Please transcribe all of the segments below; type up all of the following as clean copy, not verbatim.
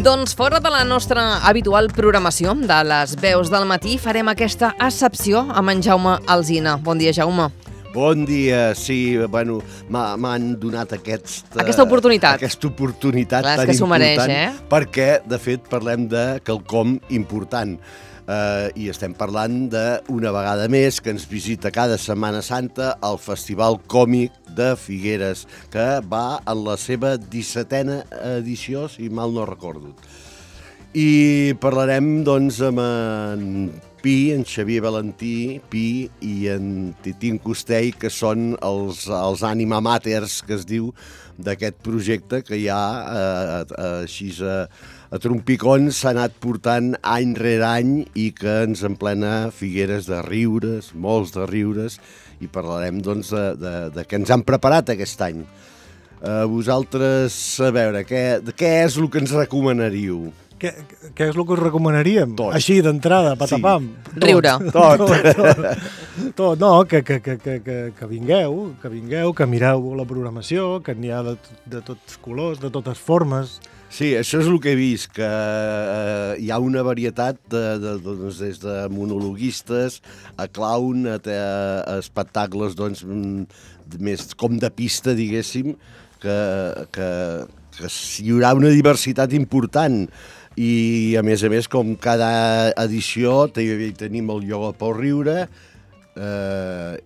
Doncs fora de la nostra habitual programació de les veus del matí farem aquesta excepció amb en Jaume Alsina. Bon dia, Jaume. Bon dia, sí, bueno, m'han donat aquesta oportunitat. Aquesta oportunitat clar, tan que s'ho important, mereix, perquè, de fet, parlem de quelcom important. I estem parlant d'una vegada més que ens visita cada Setmana Santa el Festival Còmic de Figueres, que va en la seva 17a edició, si mal no recordo. I parlarem, doncs, amb en Pi, en Xavier Valentí, Pi i en Titín Costell, que són els ànima maters, que es diu, d'aquest projecte que ja, així a trompicons, s'ha anat portant any rere any i que ens emplena Figueres de riures, molts de riures, i parlarem, doncs, de què ens han preparat aquest any. Vosaltres, a veure, què és el que ens recomanaríeu? Què és el que us recomanaríem? Tot. Així, d'entrada, patapam. Sí. Riure. Tot. No, que vingueu, que mireu la programació, que n'hi ha de tots colors, de totes formes. Sí, això és el que he vist, que hi ha una varietat doncs, des de monologuistes a clown, a espectacles doncs, més com de pista, diguéssim, que hi haurà una diversitat important. I, a més, com cada edició tenim el ioga pel riure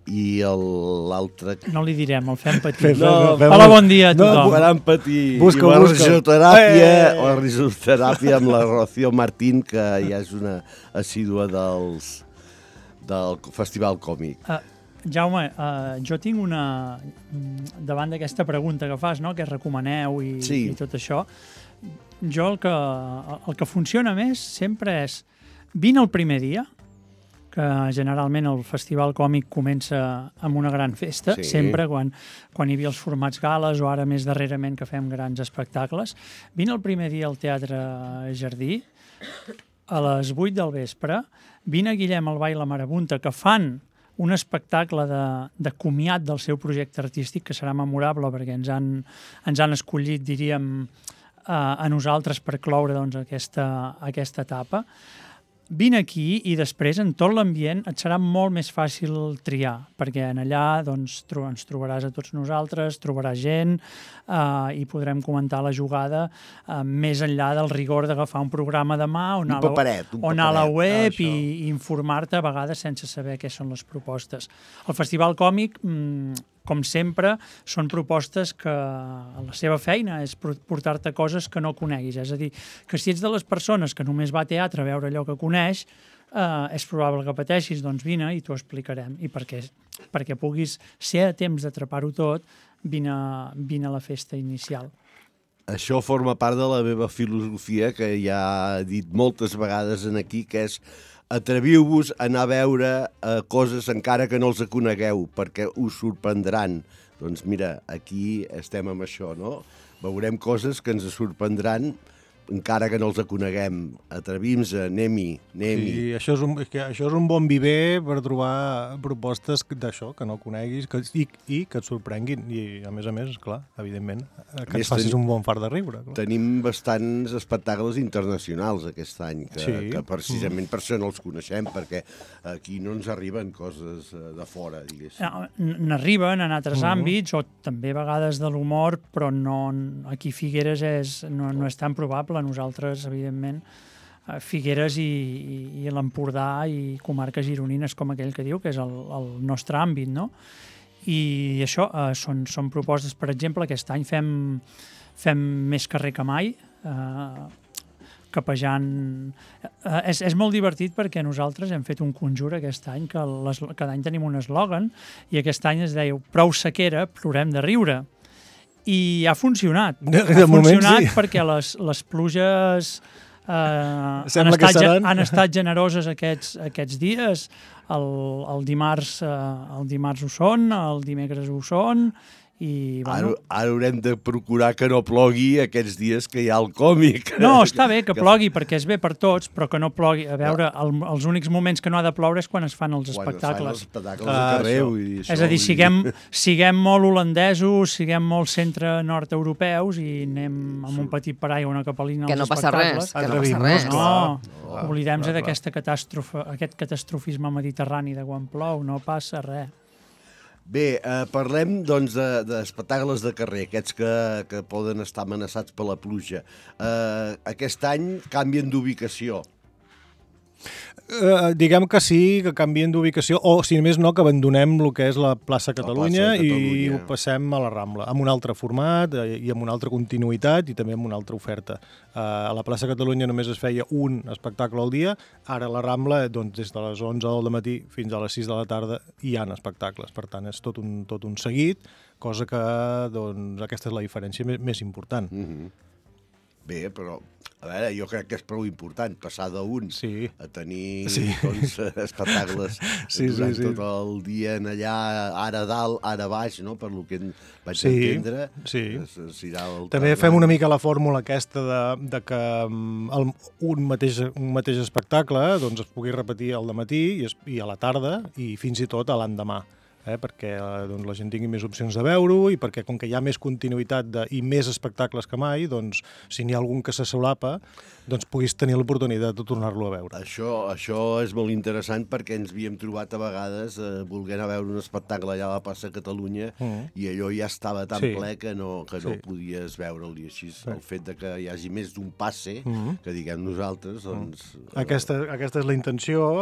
i l'altre... No li direm, el fem patir. Hola, bon dia a tothom. Faran patir. Busca. La risoteràpia amb la Rocío Martín, que ja és una assídua del Festival Còmic. Jaume, jo tinc una... Davant d'aquesta pregunta que fas, no?, que recomaneu i tot això, jo el que funciona més sempre és vine el primer dia, que generalment el Festival Còmic comença amb una gran festa, sempre quan hi havia els formats gales o ara més darrerament que fem grans espectacles. Vine el primer dia al Teatre Jardí a les 8 del vespre, vine a Guillem el Ball la Marabunta, que fan un espectacle de comiat del seu projecte artístic que serà memorable perquè ens han escollit, diríem, a nosaltres per cloure doncs, aquesta etapa. Vine aquí i després en tot l'ambient et serà molt més fàcil triar, perquè en allà doncs, ens trobaràs a tots nosaltres, trobaràs gent i podrem comentar la jugada més enllà del rigor d'agafar un programa de mà o anar a la web i informar-te a vegades sense saber què són les propostes. El Festival Còmic, com sempre, són propostes que la seva feina és portar-te coses que no coneguis. És a dir, que si ets de les persones que només va a teatre a veure allò que coneix, és probable que pateixis, doncs vine i t'ho explicarem. I perquè puguis ser a temps d'atrapar-ho tot, vine a la festa inicial. Això forma part de la meva filosofia, que ja he dit moltes vegades aquí, que és atreviu-vos a anar a veure coses encara que no els conegueu, perquè us sorprendran. Doncs mira, aquí estem amb això, no? Veurem coses que ens sorprendran encara que no els coneguem. Atrevim-nos, anem-hi. Sí, això és un bon viver per trobar propostes d'això, que no coneguis i que et sorprenguin. I, a més, esclar, evidentment, que et facis un bon fart de riure. Clar. Tenim bastants espectacles internacionals aquest any, que precisament per això no els coneixem, perquè aquí no ens arriben coses de fora, diguéssim. N'arriben en altres àmbits, o també a vegades de l'humor, però no, aquí Figueres no és tan probable. Nosaltres, evidentment, Figueres i l'Empordà i comarques gironines, com aquell que diu, que és el nostre àmbit, no? I això són propostes. Per exemple, aquest any fem més carrer que mai, capejant... És molt divertit perquè nosaltres hem fet un conjur aquest any, que cada any tenim un eslògan, i aquest any es deia prou sequera, plorem de riure. I ha funcionat. Perquè les pluges han estat generoses aquests dies. El dimarts ho són, el dimecres ho són, I, bueno... Ara haurem de procurar que no plogui aquests dies que hi ha el còmic. No, està bé que plogui perquè és bé per tots, però que no plogui. A veure, els únics moments que no ha de ploure és quan es fan els espectacles. Quan es fan els espectacles de carrer. És a dir, siguem molt holandesos, siguem molt centre-nord-europeus i anem amb un petit paraigua, una capelina als espectacles. Que no passa res. No, oblidem-nos d'aquest catastrofisme mediterrani de quan plou, no passa res. Bé, parlem doncs d'espectacles de carrer, aquests que poden estar amenaçats per la pluja. Aquest any canvien d'ubicació. Diguem que sí, que canvien d'ubicació, o si més no, que abandonem el que és la plaça Catalunya i ho passem a la Rambla, amb un altre format i amb una altra continuïtat i també amb una altra oferta. A la plaça Catalunya només es feia un espectacle al dia, ara a la Rambla, doncs, des de les 11 del matí fins a les 6 de la tarda hi ha espectacles, per tant és tot un seguit, cosa que doncs, aquesta és la diferència més important. Bé, però, a veure, jo crec que és prou important passar d'un a tenir doncs, espectacles durant tot el dia en allà, ara dalt, ara baix, no? Per lo que vaig entendre. També fem una mica la fórmula aquesta de que un mateix espectacle doncs, es pugui repetir al dematí i a la tarda i fins i tot a l'endemà. Perquè doncs, la gent tingui més opcions de veure-ho i perquè com que hi ha més continuïtat i més espectacles que mai, doncs, si n'hi ha algun que se solapa, doncs puguis tenir l'oportunitat de tornar-lo a veure. Això és molt interessant perquè ens havíem trobat a vegades volent a veure un espectacle allà a la plaça Catalunya i allò ja estava tan ple que no podies veure'l. I així el fet de que hi hagi més d'un passe, que diguem nosaltres, doncs... Aquesta és la intenció,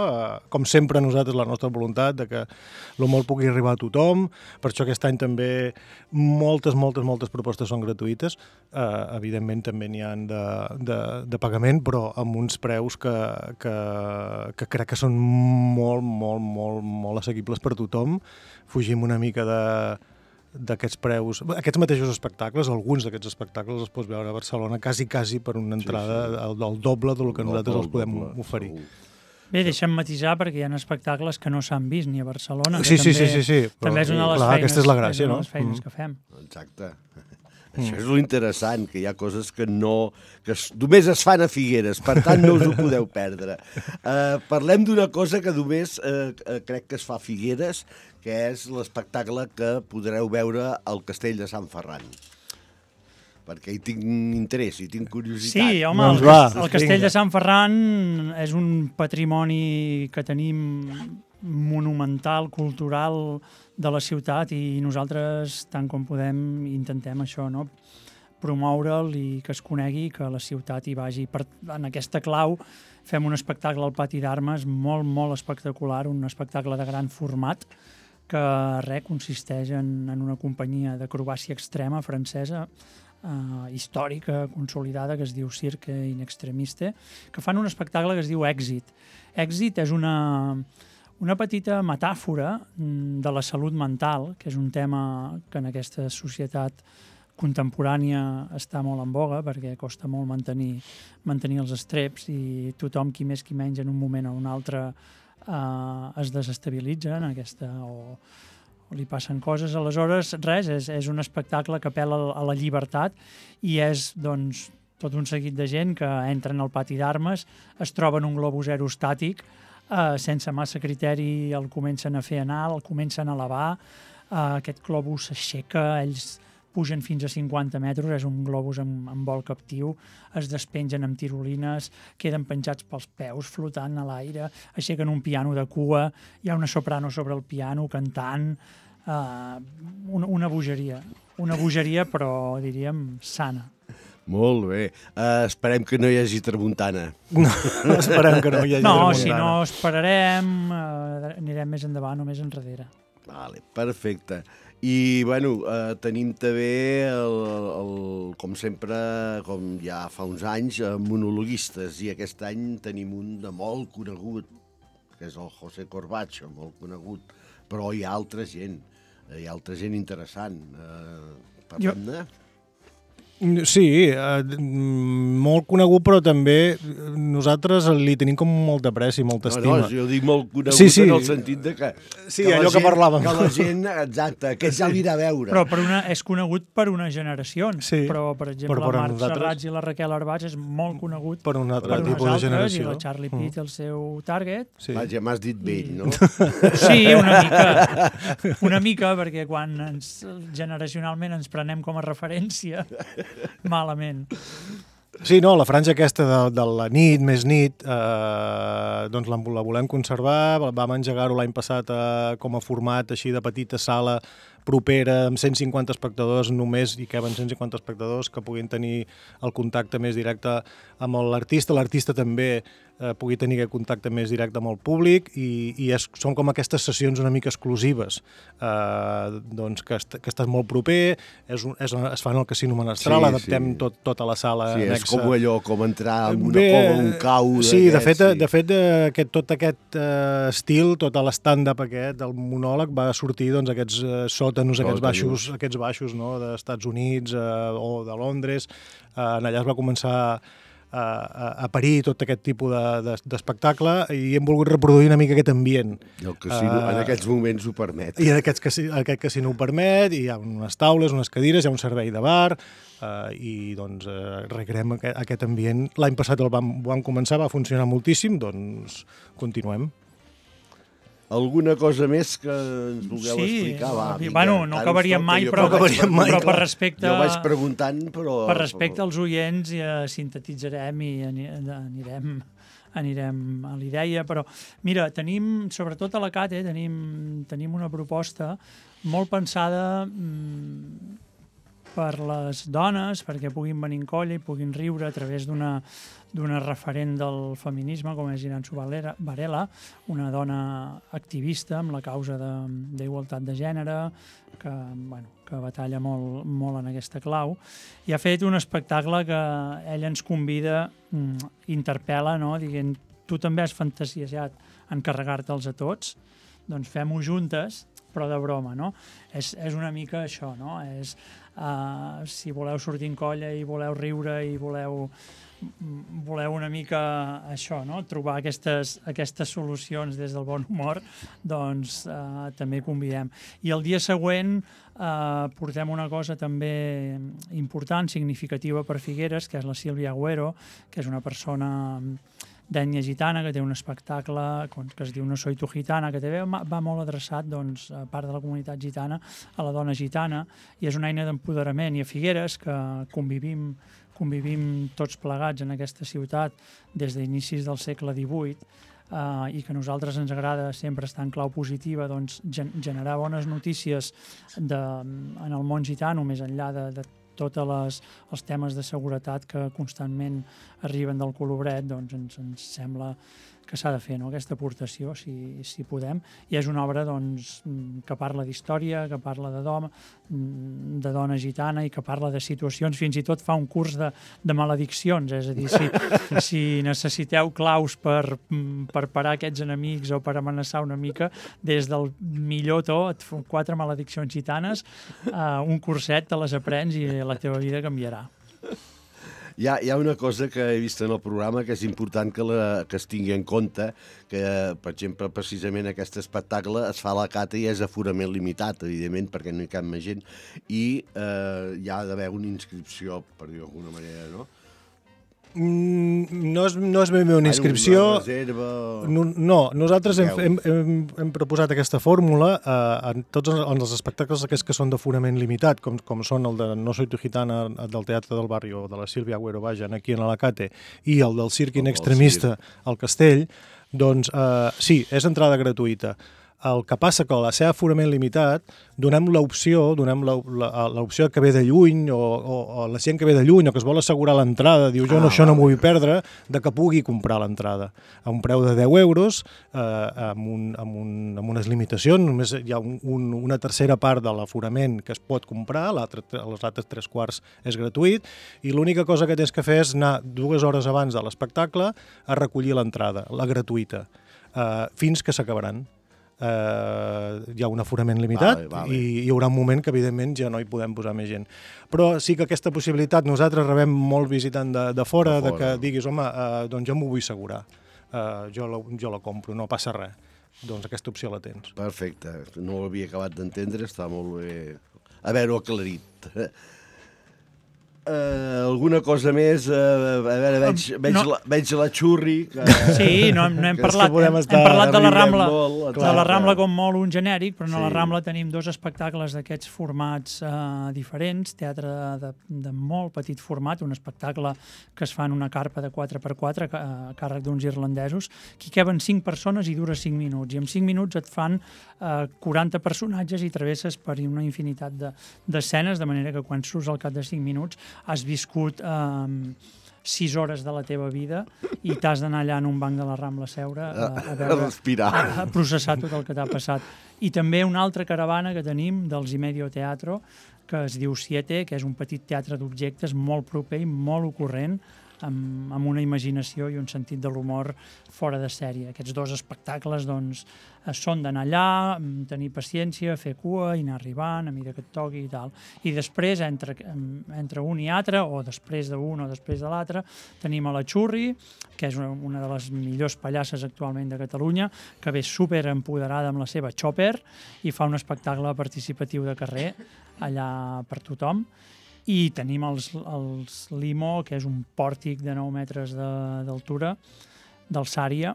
com sempre nosaltres, la nostra voluntat, de que el molt pugui arribar a tothom, per això aquest any també moltes propostes són gratuïtes, evidentment també n'hi ha de pagament, però amb uns preus que crec que són molt assequibles per tothom. Fugim una mica d'aquests preus, aquests mateixos espectacles, alguns d'aquests espectacles els pots veure a Barcelona quasi per una entrada al doble del que nosaltres els podem oferir. Bé, deixa'm matisar perquè hi ha espectacles que no s'han vist ni a Barcelona. Sí. També és una de les feines, aquesta és la gràcia, no? Que fem. Exacte. Això és l'interessant, que hi ha coses que només es fan a Figueres, per tant no us ho podeu perdre. Parlem d'una cosa que només crec que es fa a Figueres, que és l'espectacle que podreu veure al Castell de Sant Ferran. Perquè hi tinc interès, hi tinc curiositat. Sí, home, el Castell de Sant Ferran és un patrimoni que tenim monumental, cultural de la ciutat i nosaltres, tant com podem, intentem això, no? Promoure'l i que es conegui, que la ciutat hi vagi. En aquesta clau fem un espectacle al Pati d'Armes molt espectacular, un espectacle de gran format, que consisteix en una companyia d'acrobàcia extrema francesa, històrica, consolidada, que es diu Cirque in Extremiste, que fan un espectacle que es diu Èxit. Èxit és una petita metàfora de la salut mental, que és un tema que en aquesta societat contemporània està molt en boga perquè costa molt mantenir els estreps i tothom, qui més qui menys, en un moment o un altre es desestabilitza en aquesta o li passen coses. Aleshores, res, és un espectacle que apel·la a la llibertat i és, doncs, tot un seguit de gent que entren al Pati d'Armes, es troben un globus aerostàtic, sense massa criteri el comencen a fer anar, el comencen a elevar, aquest globus s'aixeca, ells pugen fins a 50 metres, és un globus amb vol captiu, es despengen amb tirolines, queden penjats pels peus, flotant a l'aire, aixequen un piano de cua, hi ha una soprano sobre el piano cantant, una bogeria, però diríem sana. Molt bé. Esperem que no hi hagi tramuntana. No, esperem que no hi hagi tramuntana. No, si no esperarem, anirem més endavant o més enrere. Vale, perfecte. I, bueno, tenim també, com sempre, com ja fa uns anys, monologuistes, i aquest any tenim un de molt conegut, que és el José Corbacho, molt conegut, però hi ha altra gent interessant. Parlem-ne? Sí, molt conegut, però també nosaltres li tenim com molta pressa i molta estima. No, jo dic molt conegut en el sentit de que... Sí, allò que parlàvem. Que la gent, exacte, que ja l'irà a veure. Però és conegut per unes generacions. Però, per exemple, el Marc Serrats i la Raquel Arbats és molt conegut per un altre tipus de generació. I la Charlie Pitt, el seu target. Vaja, m'has dit vell, no? Sí, una mica, perquè quan generacionalment ens prenem com a referència, malament. Sí, no, la franja aquesta de la nit, més nit, doncs la volem conservar. Vam engegar-ho l'any passat com a format així de petita sala propera, amb 150 espectadors només, hi caben 150 espectadors que puguin tenir el contacte més directe amb l'artista. L'artista també pugui tenir aquest contacte més directe amb el públic i són com aquestes sessions una mica exclusives, doncs que estàs molt proper, es fa en el Casino Menestral, adaptem tota la sala anexa. Sí, és com allò, com entrar en una cova, un cau... Sí, de fet, tot aquest estil, tot l'estàndard aquest, del monòleg, va sortir doncs aquests sòtanos, aquests baixos no, d'Estats Units o de Londres. Allà es va començar a parir tot aquest tipus d'espectacle i hem volgut reproduir una mica aquest ambient. I el casino en aquests moments ho permet. I aquest casino ho permet, i hi ha unes taules, unes cadires, hi ha un servei de bar i doncs recreem aquest ambient. L'any passat el vam començar, va funcionar moltíssim, doncs continuem. Alguna cosa més que ens vulgueu explicar? Bueno, no acabaríem mai, però per respecte... Jo vaig preguntant, però... Per respecte als oients sintetitzarem i anirem a l'idea, però mira, sobretot a la CATE, tenim una proposta molt pensada per les dones, perquè puguin venir en colla i puguin riure a través d'una referent del feminisme, com és Iranzu Varela, una dona activista amb la causa d'igualtat de gènere, que batalla molt en aquesta clau, i ha fet un espectacle que ella ens convida, interpel·la, no? Dient, tu també has fantasiejat en carregar-te'ls a tots, doncs fem-ho juntes, però de broma, no? És una mica això, no? Si voleu sortir en colla i voleu riure i voleu una mica això, no? Trobar aquestes solucions des del bon humor, doncs també convidem. I el dia següent portem una cosa també important, significativa per Figueres, que és la Sílvia Agüero, que és una persona d'ètnia gitana, que té un espectacle que es diu No soy tu gitana, que també va molt adreçat a part de la comunitat gitana, a la dona gitana, i és una eina d'empoderament. I a Figueres, que convivim tots plegats en aquesta ciutat des d'inicis del segle XVIII, i que a nosaltres ens agrada sempre estar en clau positiva, doncs generar bones notícies en el món gitano, més enllà de tots els temes de seguretat que constantment arriben del Colobret, doncs ens sembla que s'ha de fer, no? Aquesta aportació, si podem. I és una obra doncs, que parla d'història, que parla de dona gitana i que parla de situacions, fins i tot fa un curs de malediccions, és a dir, si necessiteu claus per parar aquests enemics o per amenaçar una mica, des del millor to, et fan 4 malediccions gitanes, un curset te les aprens i la teva vida canviarà. Hi ha una cosa que he vist en el programa que és important que es tingui en compte, que, per exemple, precisament aquest espectacle es fa a la CATE i és aforament limitat, evidentment, perquè no hi cap més gent, i hi ha d'haver una inscripció, per dir-ho d'alguna manera, no? No és ben bé una inscripció. Una reserva... No, nosaltres hem proposat aquesta fórmula en tots els espectacles aquests que són d'aforament limitat, com són el de No soy tu gitana del Teatre del Barri o de la Sílvia Agüero, aquí en l'Alacate, i el del Circ in Extremista al Castell, doncs sí, és entrada gratuïta. El que passa que a la seva aforament limitat donem l'opció que ve de lluny o la gent que ve de lluny o que es vol assegurar l'entrada, diu això no m'ho vull perdre, de que pugui comprar l'entrada a un preu de 10 euros amb unes limitacions. Només hi ha una tercera part de l'aforament que es pot comprar, els altres 3/4 és gratuït, i l'única cosa que tens que fer és anar 2 hores abans de l'espectacle a recollir l'entrada, la gratuïta, fins que s'acabaran. hi ha un aforament limitat i hi haurà un moment que, evidentment, ja no hi podem posar més gent. Però sí que aquesta possibilitat, nosaltres rebem molt visitant de fora, de que diguis, home, doncs jo m'ho vull assegurar, jo la compro, no passa res. Doncs aquesta opció la tens. Perfecte, no ho havia acabat d'entendre, està molt bé haver-ho aclarit. Alguna cosa més? A veure, veig la Xurri. Sí, no hem parlat de la Rambla com molt un genèric, però a la Rambla tenim 2 espectacles d'aquests formats diferents, teatre de molt petit format, un espectacle que es fa en una carpa de 4x4 a càrrec d'uns irlandesos, que hi caben 5 persones i dura 5 minuts, i en 5 minuts et fan 40 personatges i travesses per una infinitat d'escenes, de manera que quan surts al cap de 5 minuts has viscut 6 hores de la teva vida i t'has d'anar allà en un banc de la Rambla a seure a respirar, a processar tot el que t'ha passat. I també una altra caravana que tenim dels Imedio Teatro, que es diu Siete, que és un petit teatre d'objectes molt proper i molt ocorrent, amb una imaginació i un sentit de l'humor fora de sèrie. Aquests 2 espectacles doncs, són d'anar allà, tenir paciència, fer cua i anar arribant a mesura que et toqui i tal. I després, entre un i altre, o després d'un o després de l'altre, tenim a la Xurri, que és una de les millors pallasses actualment de Catalunya, que ve super empoderada amb la seva chopper i fa un espectacle participatiu de carrer allà per tothom. I tenim els Limo, que és un pòrtic de 9 metres d'altura, d'alçària,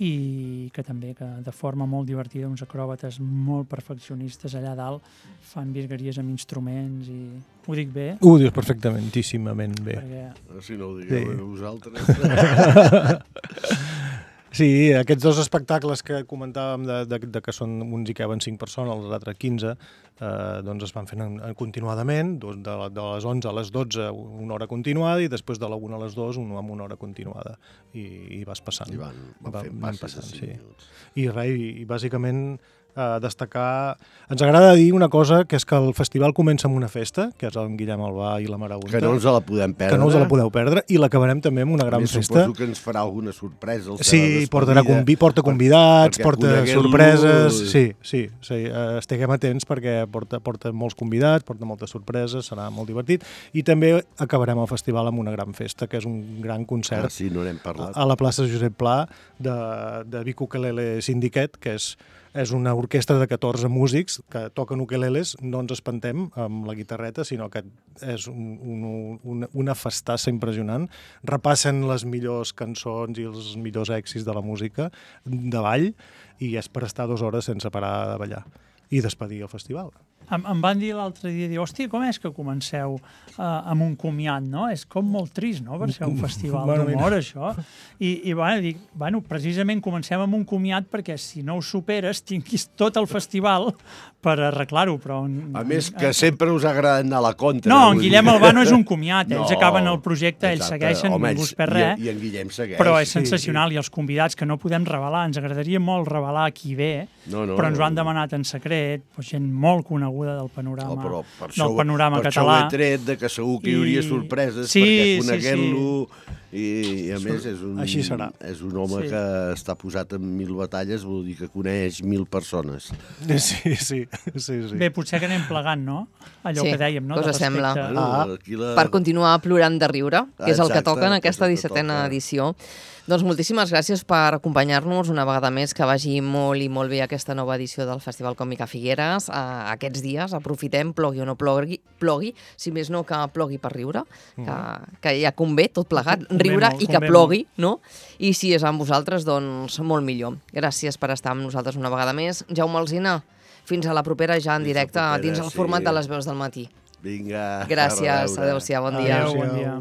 i que també de forma molt divertida, uns acròbates molt perfeccionistes allà dalt, fan virgueries amb instruments i... Ho dic bé? Ho dius perfectíssimament bé. Si no ho digueu vosaltres... Sí, aquests 2 espectacles que comentàvem de que són uns hi caben 5 persones, els altres 15, doncs es van fent continuadament, de les 11 a les 12 una hora continuada i després de la 1 a les 2 amb una hora continuada. I vas passant. I van fent passes de 5 minuts. I bàsicament destacar... Ens agrada dir una cosa, que és que el festival comença amb una festa, que és en Guillem Albà i la Marabunta. Que no ens la podem perdre. Que no us la podeu perdre, i l'acabarem també amb una gran festa. Suposo que ens farà alguna sorpresa. Sí, porta convidats, porta sorpreses... Sí, estiguem atents perquè porta molts convidats, porta moltes sorpreses, serà molt divertit. I també acabarem el festival amb una gran festa, que és un gran concert a la plaça Josep Pla de Vic Ukelele Syndicate, que és una orquestra de 14 músics que toquen ukeleles, no ens espantem amb la guitarreta, sinó que és una festassa impressionant. Repassen les millors cançons i els millors èxits de la música de ball i és per estar 2 hores sense parar de ballar i despedir el festival. Em van dir l'altre dia, hòstia, com és que comenceu amb un comiat, no? És com molt trist, no?, per ser un festival d'humor, això. I dic, precisament comencem amb un comiat perquè si no ho superes tinguis tot el festival per arreglar-ho, però... A més, que sempre us ha agradat anar a la contra. No, en Guillem Albà no és un comiat, ells acaben el projecte, ells segueixen, ningú es perd res. I en Guillem segueix. Però és sensacional, i els convidats que no podem revelar, ens agradaria molt revelar qui ve, però ens ho han demanat en secret, gent molt coneguda del panorama català. Per això ho he tret, que segur que hi hauria sorpreses, perquè coneguent-lo... I a més és un home que està posat en 1000 batalles, vol dir que coneix 1000 persones. Sí. Bé, potser que anem plegant, no? Allò que dèiem, no? Cosa sembla. Per continuar plorant de riure, que és el que toca en aquesta 17a edició. Doncs moltíssimes gràcies per acompanyar-nos una vegada més, que vagi molt i molt bé aquesta nova edició del Festival Còmic a Figueres. Aquests dies aprofitem, plogui o no plogui, si més no que plogui per riure, que ja convé tot plegat, riure i que plogui, no? I si és amb vosaltres, doncs molt millor. Gràcies per estar amb nosaltres una vegada més. Jaume Alsina, fins a la propera ja en directe dins el format de les veus del matí. Vinga. Gràcies, adéu-siau, bon dia. Adéu, bon dia.